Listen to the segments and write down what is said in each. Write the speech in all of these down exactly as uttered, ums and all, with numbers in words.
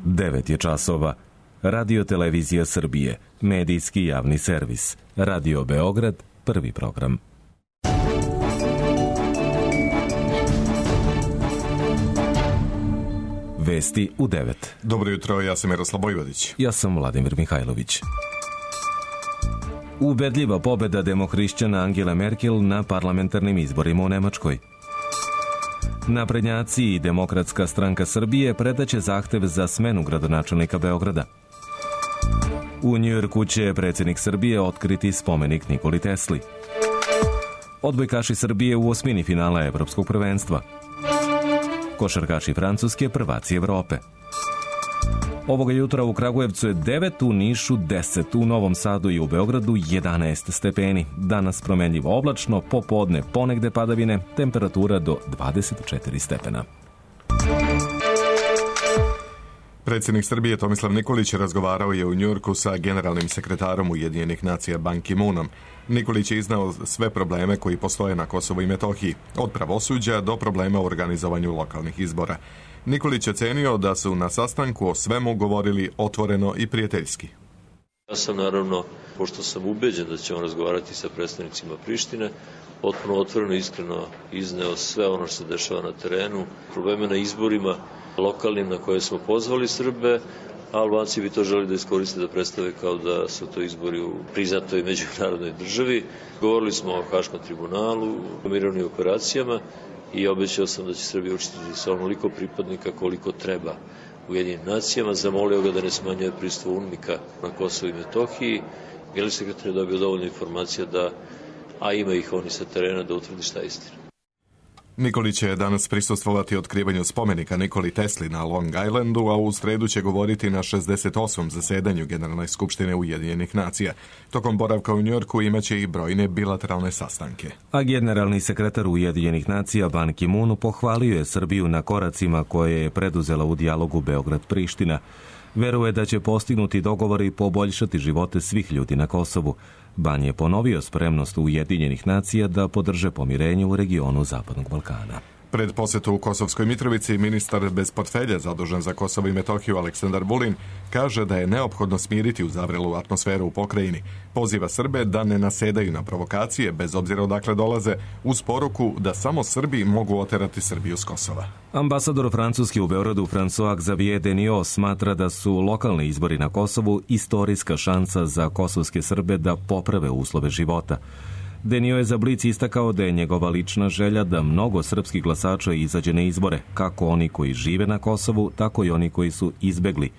devet je časova. Radio Televizija Srbije, medijski javni servis. Radio Beograd, prvi program. Vesti u devet. Dobro jutro, ja sam Miroslav Bojvodić. Ja sam Vladimir Mihajlović. Ubedljiva pobeda demohrišćana Angele Merkel na parlamentarnim izborima u Nemačkoj. Naprednjaci i Demokratska stranka Srbije predaće zahtev za smenu gradonačelnika Beograda. U Njujorku će predsjednik Srbije otkriti spomenik Nikoli Tesli. Odbojkaši Srbije u osmini finala Evropskog prvenstva. Košarkaši Francuske prvaci Evrope. Ovoga jutra u Kragujevcu je devet, u Nišu deset, u Novom Sadu i u Beogradu jedanaest stepeni. Danas promenljivo oblačno, popodne ponegde padavine, temperatura do dvadeset četiri stepena. Predsjednik Srbije Tomislav Nikolić razgovarao je u Njujorku sa generalnim sekretarom Ujedinjenih nacija Ban Ki-moonom. Nikolić je iznao sve probleme koji postoje na Kosovu i Metohiji, od pravosuđa do problema u organizovanju lokalnih izbora. Nikolić je ocenio da su na sastanku o svemu govorili otvoreno i prijateljski. Ja sam naravno, pošto sam ubeđen da ćemo razgovarati sa predstavnicima Prištine, potpuno otvoreno i iskreno izneo sve ono što se dešava na terenu, probleme na izborima lokalnim na koje smo pozvali Srbe, a Albanci bi to želi da iskoriste da predstave kao da su to izbori u priznatoj međunarodnoj državi. Govorili smo o Haškom tribunalu, o mirovnim operacijama i obećao sam da će Srbija učestvovati sa onoliko pripadnika koliko treba Ujedinjenim nacijama. Zamolio ga da ne smanjuje prisustvo UNMIK-a na Kosovu i Metohiji. Generalni sekretar je dobio dovoljno informacija da, a ima ih oni sa terena, da utvrdi šta je istina. Nikolić će danas prisustvovati otkrivanju spomenika Nikoli Tesli na Long Islandu, a u sredu će govoriti na šezdeset osmom zasedanju Generalne skupštine Ujedinjenih nacija. Tokom boravka u Njujorku imaće i brojne bilateralne sastanke. A generalni sekretar Ujedinjenih nacija Ban Ki-moon pohvalio je Srbiju na koracima koje je preduzela u dijalogu Beograd-Priština. Veruje da će postignuti dogovori i poboljšati živote svih ljudi na Kosovu. Ban je ponovio spremnost Ujedinjenih nacija da podrže pomirenje u regionu Zapadnog Balkana. Pred posjetu u Kosovskoj Mitrovici ministar bez portfelja zadužen za Kosovo i Metohiju Aleksandar Vulin kaže da je neophodno smiriti uzavrelu atmosferu u pokrajini. Poziva Srbe da ne nasedaju na provokacije bez obzira odakle dolaze, uz poruku da samo Srbi mogu oterati Srbiju s Kosova. Ambasador Francuske u Beogradu François Xavier Deniot smatra da su lokalni izbori na Kosovu istorijska šansa za kosovske Srbe da poprave uslove života. Denio je za Blic istakao da je njegova lična želja da mnogo srpskih glasača izađe na izbore, kako oni koji žive na Kosovu, tako i oni koji su izbegli.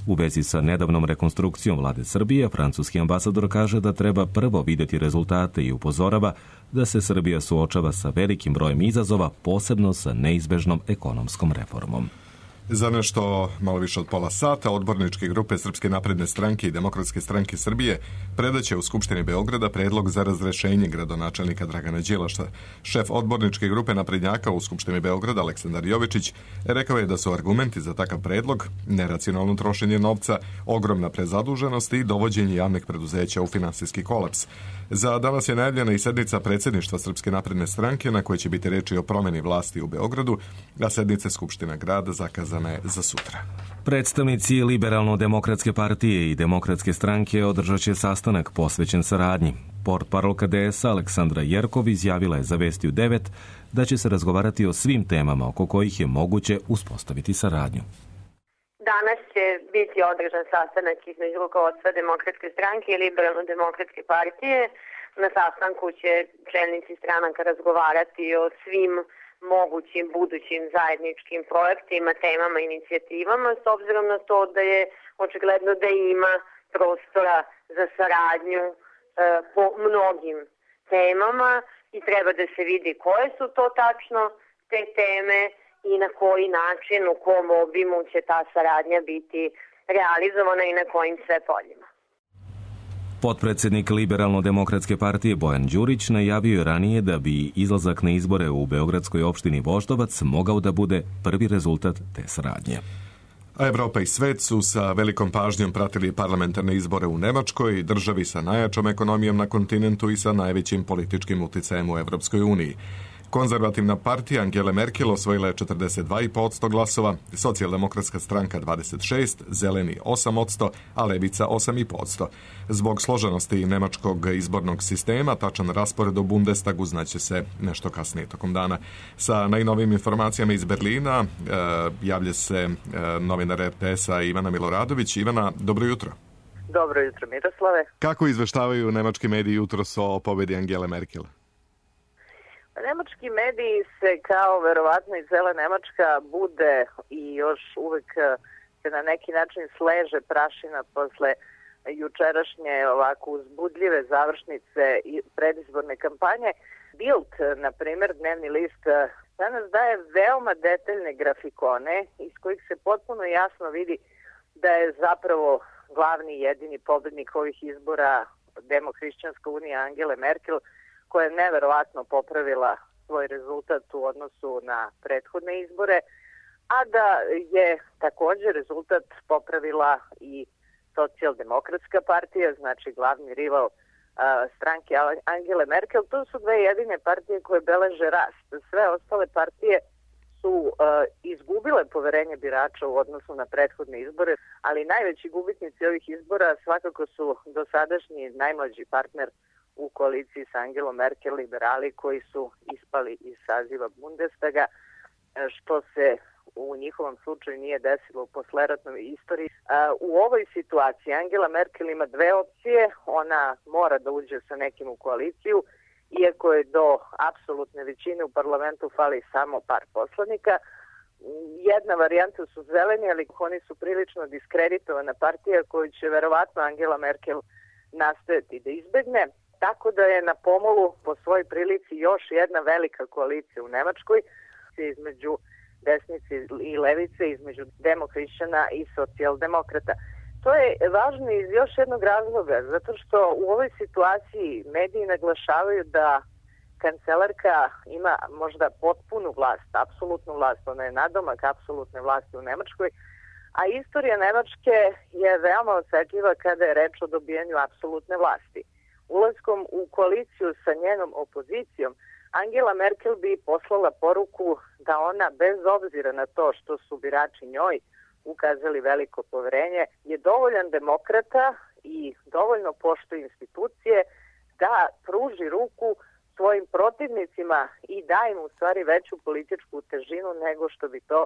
U vezi sa nedavnom rekonstrukcijom vlade Srbije, francuski ambasador kaže da treba prvo vidjeti rezultate i upozorava da se Srbija suočava sa velikim brojem izazova, posebno sa neizbežnom ekonomskom reformom. Za nešto malo više od pola sata odborničke grupe Srpske napredne stranke i Demokratske stranke Srbije predaće u Skupštini Beograda predlog za razrešenje gradonačelnika Dragana Đilasa. Šef odborničke grupe naprednjaka u Skupštini Beograda Aleksandar Jovičić rekao je da su argumenti za takav predlog neracionalno trošenje novca, ogromna prezaduženost i dovođenje javnih preduzeća u finansijski kolaps. Za danas je najavljena i sednica predsjedništva Srpske napredne stranke na kojoj će biti reči o promjeni vlasti u Beogradu, a sednice Skupština grada zakazana je za sutra. Predstavnici Liberalno-demokratske partije i Demokratske stranke održat će sastanak posvećen saradnji. Portparolka D S Aleksandra Jerkov izjavila je za Vesti u devet da će se razgovarati o svim temama oko kojih je moguće uspostaviti saradnju. Danas će biti održan sastanak između rukovodstva Demokratske stranke i Liberalno-demokratske partije. Na sastanku će čelnici stranaka razgovarati o svim mogućim budućim zajedničkim projektima, temama, inicijativama, s obzirom na to da je očigledno da ima prostora za saradnju e, po mnogim temama i treba da se vidi koje su to tačno te teme i na koji način, u kom obimu će ta saradnja biti realizovana i na kojim sve poljima. Potpredsjednik Liberalno-demokratske partije Bojan Đurić najavio je ranije da bi izlazak na izbore u beogradskoj opštini Voždovac mogao da bude prvi rezultat te saradnje. A Evropa i svet su sa velikom pažnjom pratili parlamentarne izbore u Nemačkoj, državi sa najjačom ekonomijom na kontinentu i sa najvećim političkim uticajem u Evropskoj uniji. Konzervativna partija Angele Merkel osvojila je četrdeset dva zarez pet posto glasova, Socijaldemokratska stranka dvadeset šest, Zeleni osam posto, a Levica osam zarez pet posto. Zbog složenosti nemačkog izbornog sistema, tačan raspored u Bundestagu znaće se nešto kasnije tokom dana. Sa najnovijim informacijama iz Berlina e, javlja se e, novinar R T S-a Ivana Miloradović. Ivana, dobro jutro. Dobro jutro, Miroslave. Kako izveštavaju nemački mediji jutros o pobedi Angele Merkel? Nemački mediji se kao verovatno i cela Nemačka bude i još uvek se na neki način sleže prašina posle jučerašnje ovako uzbudljive završnice i predizborne kampanje. Bild, na primer, dnevni list, danas daje veoma detaljne grafikone iz kojih se potpuno jasno vidi da je zapravo glavni i jedini pobednik ovih izbora Demohrišćanska unija Angele Merkel, koja je neverovatno popravila svoj rezultat u odnosu na prethodne izbore, a da je također rezultat popravila i Socijaldemokratska partija, znači glavni rival a, stranke Angele Merkel. To su dve jedine partije koje beleže rast. Sve ostale partije su a, izgubile poverenje birača u odnosu na prethodne izbore, ali najveći gubitnici ovih izbora svakako su dosadašnji najmlađi partner u koaliciji sa Angelom Merkel, liberali koji su ispali iz saziva Bundestaga, što se u njihovom slučaju nije desilo u posleratnoj istoriji. U ovoj situaciji Angela Merkel ima dve opcije. Ona mora da uđe sa nekim u koaliciju, iako je do apsolutne većine u parlamentu fali samo par poslanika. Jedna varijanta su zeleni, ali oni su prilično diskreditovana partija koju će verovatno Angela Merkel nastojati da izbegne. Tako da je na pomolu po svojoj prilici još jedna velika koalicija u Nemačkoj između desnice i levice, između demohrišćana i socijaldemokrata. To je važno iz još jednog razloga, zato što u ovoj situaciji mediji naglašavaju da kancelarka ima možda potpunu vlast, apsolutnu vlast, ona je nadomak apsolutne vlasti u Nemačkoj, a istorija Nemačke je veoma osetljiva kada je reč o dobijanju apsolutne vlasti. Ulaskom u koaliciju sa njenom opozicijom, Angela Merkel bi poslala poruku da ona, bez obzira na to što su birači njoj ukazali veliko poverenje, je dovoljan demokrata i dovoljno poštuje institucije da pruži ruku svojim protivnicima i da im u stvari veću političku težinu nego što bi to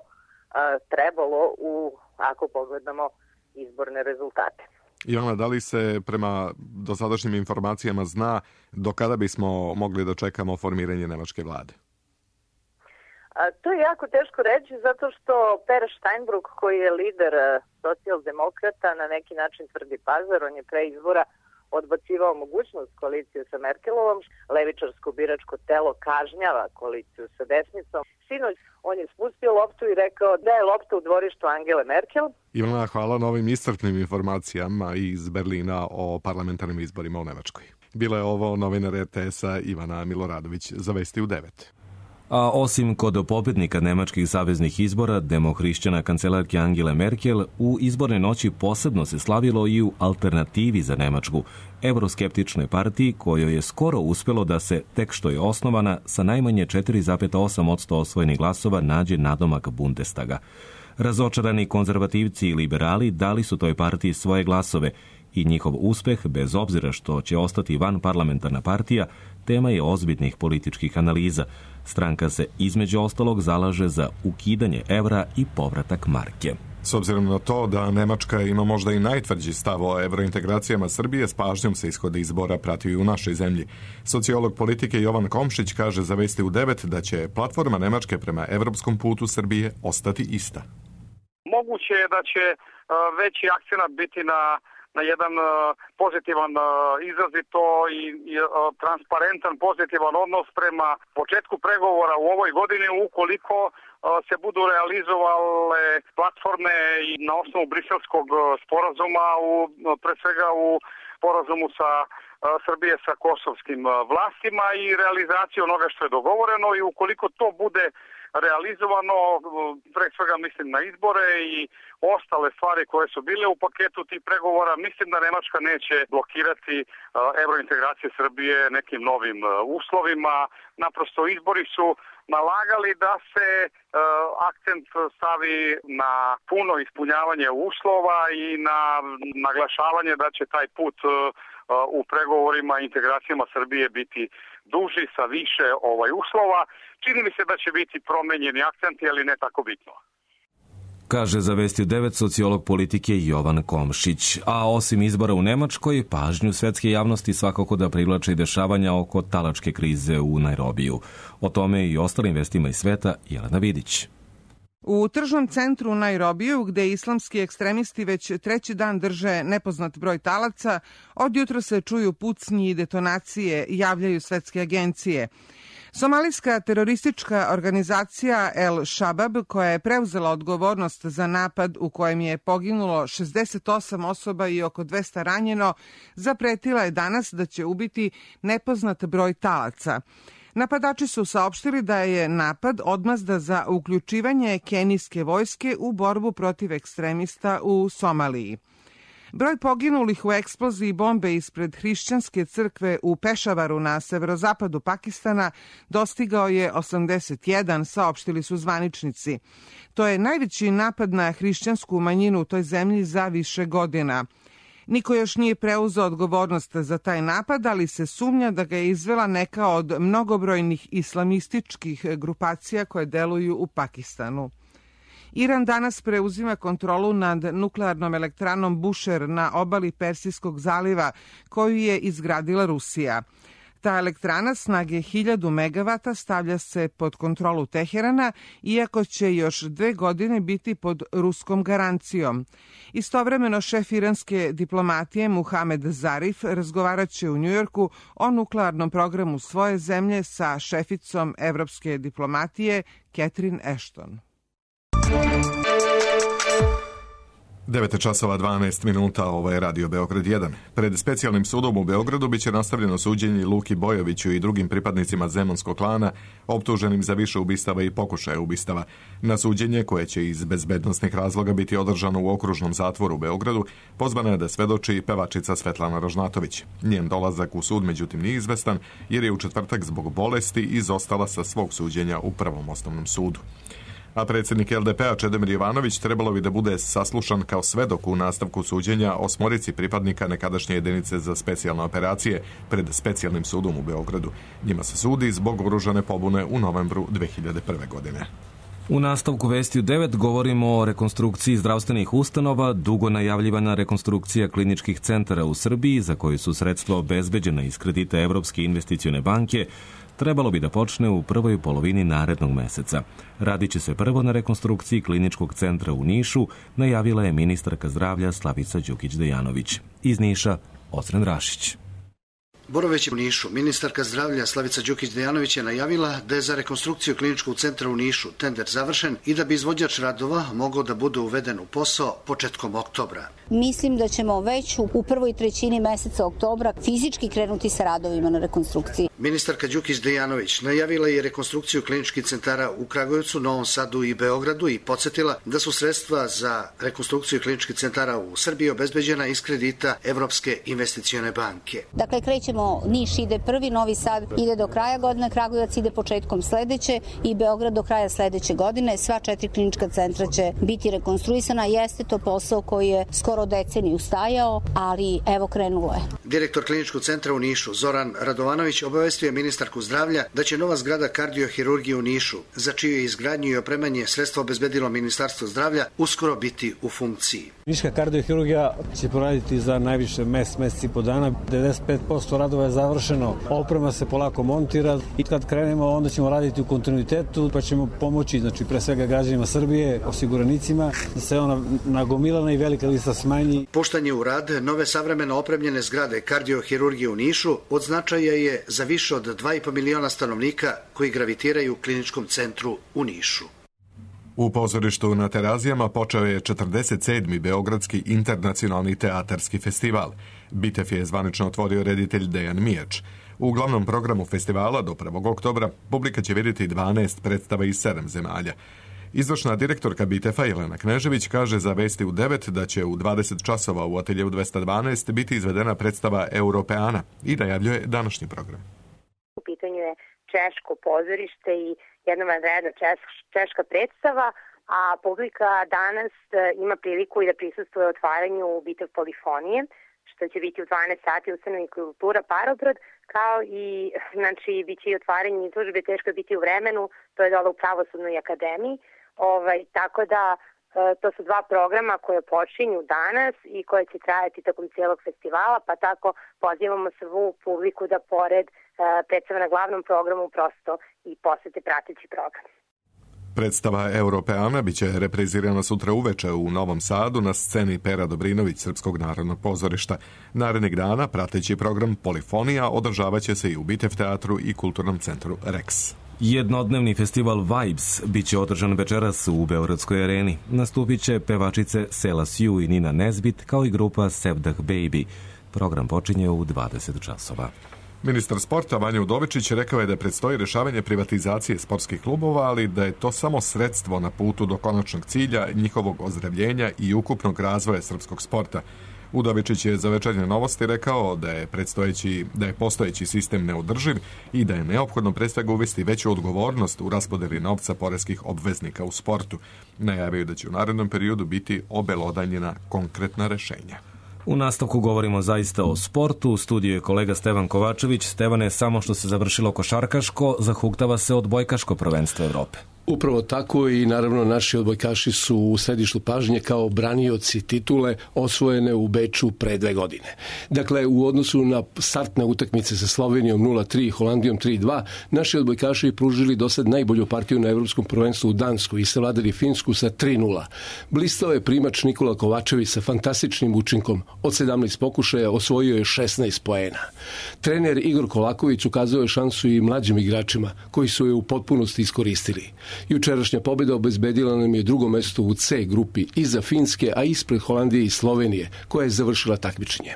a, trebalo u, ako pogledamo, izborne rezultate. Ivana, da li se prema dosadašnjim informacijama zna do kada bismo mogli da čekamo formiranje nemačke vlade? A, to je jako teško reći zato što Per Steinbrück, koji je lider socijaldemokrata, na neki način tvrdi pazar, on je pre izbora odbacivao mogućnost koalicije sa Merkelovom, levičarsko biračko telo kažnjava koaliciju sa desnicom. Sinoć on je spustio loptu i rekao da je lopta u dvorištu Angele Merkel. Ivana, hvala na ovim iscrpnim informacijama iz Berlina o parlamentarnim izborima u Nemačkoj. Bila je ovo novinar R T S-a Ivana Miloradović za Vesti u devet. A osim kod pobjednika nemačkih saveznih izbora, demohrišćana kancelarke Angele Merkel, u izborne noći posebno se slavilo i u Alternativi za Nemačku, evroskeptičnoj partiji kojoj je skoro uspjelo da se, tek što je osnovana, sa najmanje četiri zarez osam posto osvojenih glasova nađe nadomak Bundestaga. Razočarani konzervativci i liberali dali su toj partiji svoje glasove i njihov uspeh, bez obzira što će ostati van parlamentarna partija, tema je ozbiljnih političkih analiza. Stranka se između ostalog zalaže za ukidanje evra i povratak marke. S obzirom na to da Nemačka ima možda i najtvrđi stav o evrointegracijama Srbije, s pažnjom se ishode izbora pratio i u našoj zemlji. Sociolog politike Jovan Komšić kaže za Vesti u devet da će platforma Nemačke prema evropskom putu Srbije ostati ista. Moguće je da će veći akcenat biti na na jedan uh, pozitivan, uh, izrazito i, i uh, transparentan, pozitivan odnos prema početku pregovora u ovoj godini ukoliko uh, se budu realizovale platforme i na osnovu briselskog uh, sporazuma, u, uh, pre svega u sporazumu sa uh, Srbije sa kosovskim uh, vlastima i realizaciju onoga što je dogovoreno i ukoliko to bude realizovano, pre svega mislim na izbore i ostale stvari koje su bile u paketu tih pregovora. Mislim da Nemačka neće blokirati evrointegracije Srbije nekim novim uslovima. Naprosto izbori su nalagali da se uh, akcent stavi na puno ispunjavanje uslova i na naglašavanje da će taj put uh, u pregovorima i integracijama Srbije biti duži sa više ovaj uslova. Čini mi se da će biti promenjeni akcenti, ali ne tako bitno. Kaže za Vesti devet sociolog politike Jovan Komšić. A osim izbora u Nemačkoj, pažnju svetske javnosti svakako da privlače i dešavanja oko talačke krize u Nairobiju. O tome i ostalim vestima iz sveta Jelena Vidić. U tržnom centru u Nairobiju, gde islamski ekstremisti već treći dan drže nepoznat broj talaca, od jutra se čuju pucnji i detonacije, javljaju svetske agencije. Somalijska teroristička organizacija El Shabab, koja je preuzela odgovornost za napad u kojem je poginulo šezdeset osam osoba i oko dvesta ranjeno, zapretila je danas da će ubiti nepoznat broj talaca. Napadači su saopštili da je napad odmazda za uključivanje kenijske vojske u borbu protiv ekstremista u Somaliji. Broj poginulih u eksploziji bombe ispred hrišćanske crkve u Pešavaru na severozapadu Pakistana dostigao je osamdeset jedan, saopštili su zvaničnici. To je najveći napad na hrišćansku manjinu u toj zemlji za više godina. Niko još nije preuzeo odgovornost za taj napad, ali se sumnja da ga je izvela neka od mnogobrojnih islamističkih grupacija koje deluju u Pakistanu. Iran danas preuzima kontrolu nad nuklearnom elektranom Bushehr na obali Persijskog zaliva, koju je izgradila Rusija. Ta elektrana snage hiljadu megavata stavlja se pod kontrolu Teherana, iako će još dve godine biti pod ruskom garancijom. Istovremeno šef iranske diplomatije Muhamed Zarif razgovarat će u Njujorku o nuklearnom programu svoje zemlje sa šeficom evropske diplomatije Catherine Ashton. devet časova dvanaest minuta, ovo je Radio Beograd jedan. Pred specijalnim sudom u Beogradu biće nastavljeno suđenje Luki Bojoviću i drugim pripadnicima Zemunskog klana, optuženim za više ubistava i pokušaja ubistava. Na suđenje, koje će iz bezbednosnih razloga biti održano u okružnom zatvoru u Beogradu, pozvana je da svedoči pevačica Svetlana Rožnatović. Njen dolazak u sud, međutim, nije izvestan, jer je u četvrtak zbog bolesti izostala sa svog suđenja u Prvom osnovnom sudu. A predsjednik L D P-a Čedomir Jovanović trebalo bi da bude saslušan kao svedok u nastavku suđenja osmorici pripadnika nekadašnje jedinice za specijalne operacije pred specijalnim sudom u Beogradu. Njima se sudi zbog oružane pobune u novembru dve hiljade prve. godine. U nastavku Vesti devet govorimo o rekonstrukciji zdravstvenih ustanova, dugo najavljivana rekonstrukcija kliničkih centara u Srbiji, za koju su sredstva obezbeđena iz kredita Evropske investicione banke, trebalo bi da počne u prvoj polovini narednog meseca. Radit će se prvo na rekonstrukciji kliničkog centra u Nišu, najavila je ministarka zdravlja Slavica Đukić Dejanović. Iz Niša, Osren Rašić. Boroveć u Nišu. Ministarka zdravlja Slavica Đukić Dejanović je najavila da je za rekonstrukciju kliničkog centra u Nišu tender završen i da bi izvođač radova mogao da bude uveden u posao početkom oktobra. Mislim da ćemo već u prvoj trećini meseca oktobra fizički krenuti sa radovima na rekonstrukciji. Ministarka Đukić Dejanović najavila je rekonstrukciju kliničkih centara u Kragujevcu, Novom Sadu i Beogradu i podsjetila da su sredstva za rekonstrukciju kliničkih centara u Srbiji obezbeđena iz kredita Evropske investicione banke. Dakle, krećemo, Niš ide prvi, Novi Sad ide do kraja godine, Kragujevac ide početkom sledeće i Beograd do kraja sledeće godine. Sva četiri klinička centra će biti rekonstruisana. Jeste to posao koji je skoro deceniju stajao, ali evo krenulo je. Direktor kliničkog centra u Nišu, Zoran Radovanović, obavestio je ministarku zdravlja da će nova zgrada kardiohirurgije u Nišu, za čiju je izgradnju i opremanje sredstva obezbedilo Ministarstvo zdravlja, uskoro biti u funkciji. Niška kardiohirurgija će poraditi za najviše mes, meseci i po dana. devedeset pet posto radova je završeno, oprema se polako montira i kad krenemo onda ćemo raditi u kontinuitetu, pa ćemo pomoći, znači pre svega građanima Srbije, osiguranicima, da se ona nagomilana i velika lista smanji. Puštanje u rad nove savremeno opremljene zgrade kardiohirurgije u Nišu od značaja je za više od dva i po miliona stanovnika koji gravitiraju u kliničkom centru u Nišu. U pozorištu na Terazijama počeo je četrdeset sedmi Beogradski internacionalni teatarski festival. Bitev je zvanično otvorio reditelj Dejan Mijač. U glavnom programu festivala do prvog oktobra publika će vidjeti dvanaest predstava iz sedam zemalja. Izvršna direktorka Bitefa Jelena Knežević kaže za Vesti u devet da će u dvadeset časova u ateljevu dvesta dvanaest biti izvedena predstava Europeana i najavljuje današnji program. U pitanju je češko pozorište i jedna vanredna češka predstava, a publika danas ima priliku i da prisustvuje otvaranju Bitev polifonije, što će biti u dvanaest sati u Ustanovi kultura Parobrod, kao i, znači, bit će i otvaranje izložbe Teško je biti u vremenu, to je dole u Pravosudnoj akademiji, ovaj, tako da to su dva programa koje počinju danas i koje će trajati tokom cijelog festivala, pa tako pozivamo svu publiku da pored predstava na glavnom programu prosto i posete prateći program. Predstava Europeana biće reprizirana sutra uveče u Novom Sadu na sceni Pera Dobrinović Srpskog narodnog pozorišta. Narednih dana prateći program Polifonija održavaće se i u Bitev teatru i kulturnom centru Rex. Jednodnevni festival Vibes biće održan večeras u Beogradskoj areni. Nastupit će pevačice Sela Sju i Nina Nezbit, kao i grupa Sevdah Baby. Program počinje u dvadeset časova. Ministar sporta Vanja Udovičić rekao je da predstoji rješavanje privatizacije sportskih klubova, ali da je to samo sredstvo na putu do konačnog cilja, njihovog ozdravljenja i ukupnog razvoja srpskog sporta. Udovičić je za Večernje novosti rekao da je, predstojeći, da je postojeći sistem neodrživ i da je neophodno pre svega uvesti veću odgovornost u raspodeli novca poreskih obveznika u sportu. Najavio da će u narednom periodu biti obelodanjena konkretna rešenja. U nastavku govorimo zaista o sportu. U studiju je kolega Stevan Kovačević. Stevane, samo što se završilo košarkaško, zahuktava se odbojkaško prvenstvo Evrope. Upravo tako i naravno naši odbojkaši su u središtu pažnje kao branioci titule osvojene u Beču pre dve godine. Dakle, u odnosu na startne utakmice sa Slovenijom nula tri i Holandijom tri dva, naši odbojkaši pružili do sad najbolju partiju na Evropskom prvenstvu u Danskoj i savladali Finsku sa tri nula. Blistao je primač Nikola Kovačević sa fantastičnim učinkom. Od sedamnaest pokušaja osvojio je šesnaest poena. Trener Igor Kolaković ukazao je šansu i mlađim igračima koji su je u potpunosti iskoristili. Jučerašnja pobjeda obezbedila nam je drugo mesto u C grupi iza Finske, a ispred Holandije i Slovenije, koja je završila takmičenje.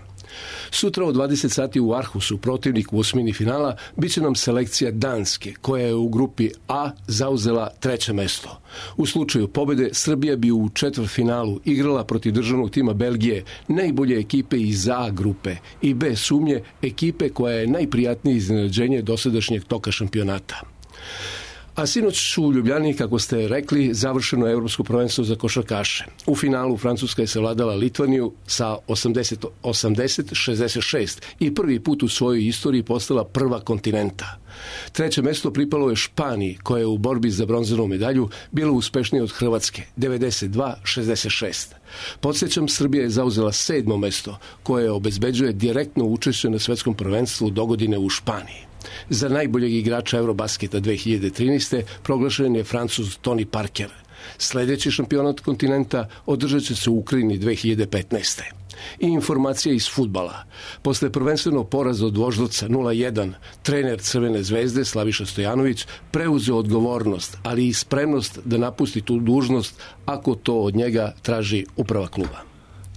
Sutra u dvadeset sati u Arhusu, protivnik u osmini finala, bit će nam selekcija Danske, koja je u grupi A zauzela treće mesto. U slučaju pobjede, Srbija bi u četvrtfinalu igrala protiv državnog tima Belgije, najbolje ekipe iz A grupe i bez sumnje ekipe koja je najprijatnije iznenađenje dosadašnjeg toka šampionata. A sinoć su u Ljubljani, kako ste rekli, završeno Evropsko prvenstvo za košarkaše. U finalu Francuska je savladala Litvaniju sa osamdeset osamdeset šezdeset šest i prvi put u svojoj istoriji postala prva kontinenta. Treće mesto pripalo je Španiji, koja je u borbi za bronzanu medalju bila uspešnija od Hrvatske, devedeset dva šezdeset šest. Podsjećam, Srbija je zauzela sedmo mesto, koje obezbeđuje direktno učešće na svetskom prvenstvu dogodine u Španiji. Za najboljeg igrača Eurobasketa dve hiljade trinaeste proglašen je Francuz Tony Parker. Sljedeći šampionat kontinenta održat će se u Ukrajini dve hiljade petnaeste. I informacija iz fudbala. Posle prvenstvenog poraza od Voždovca nula jedan, trener Crvene zvezde Slaviša Stojanović preuzeo odgovornost, ali i spremnost da napusti tu dužnost ako to od njega traži uprava kluba.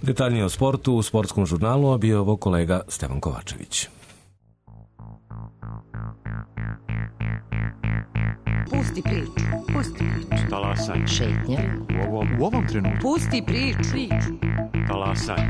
Detaljnije o sportu u Sportskom žurnalu, a bio ovo kolega Stevan Kovačević. Pusti priču. Pusti priču. Talasaj. Šetnja. U ovom, u ovom trenutku. Pusti priču. priču. Talasaj.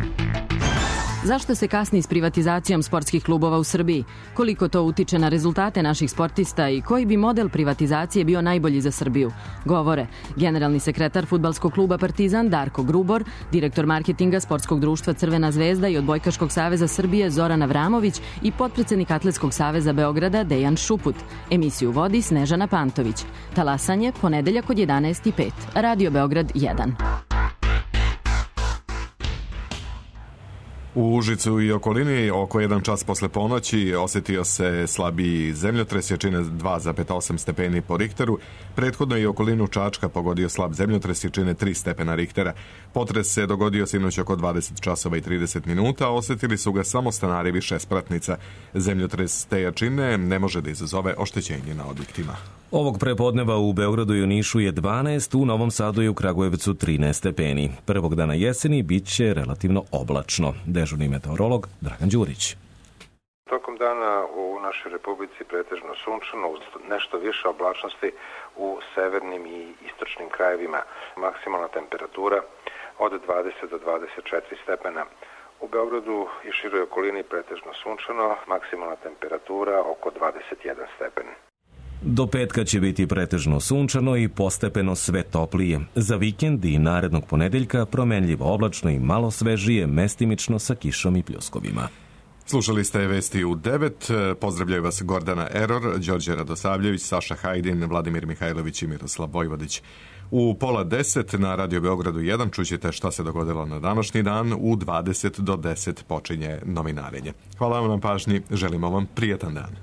Zašto se kasni s privatizacijom sportskih klubova u Srbiji? Koliko to utiče na rezultate naših sportista i koji bi model privatizacije bio najbolji za Srbiju? Govore generalni sekretar fudbalskog kluba Partizan Darko Grubor, direktor marketinga Sportskog društva Crvena zvezda i Odbojkaškog saveza Srbije Zoran Avramović i potpredsednik Atletskog saveza Beograda Dejan Šuput. Emisiju vodi Snežana Pantović. Talasanje ponedeljak od jedanaest i pet. Radio Beograd jedan. U Užicu i okolini oko jedan čas posle ponoći osjetio se slabiji zemljotres, jačine dva zarez osam stepeni po Richteru. Prethodno i okolinu Čačka pogodio slab zemljotres, jačine tri stepena Richtera. Potres se dogodio sinoć oko dvadeset časova i trideset minuta, osjetili su ga samo stanari višespratnica. Zemljotres te jačine ne može da izazove oštećenje na objektima. Ovog prepodneva u Beogradu i u Nišu je dvanaest, u Novom Sadu i u Kragujevcu trinaest stepeni. Prvog dana jeseni bit će relativno oblačno. Dežurni meteorolog Dragan Đurić. Tokom dana u našoj republici pretežno sunčano, nešto više oblačnosti u severnim i istočnim krajevima. Maksimalna temperatura od dvadeset do dvadeset četiri stepena. U Beogradu i široj okolini pretežno sunčano, maksimalna temperatura oko dvadeset jedan stepen. Do petka će biti pretežno sunčano i postepeno sve toplije. Za vikend i narednog ponedeljka promenljivo oblačno i malo svežije, mestimično sa kišom i pljuskovima. Slušali ste vesti u devet. Pozdravljaju vas Gordana Eror, Đorđe Radosavljević, Saša Hajdin, Vladimir Mihajlović i Miroslav Vojvodić. U pola deset na Radio Beogradu jedan čućete šta se dogodilo na današnji dan. U dvadeset do deset počinje novinarenje. Hvala vam na pažnji, želimo vam prijetan dan.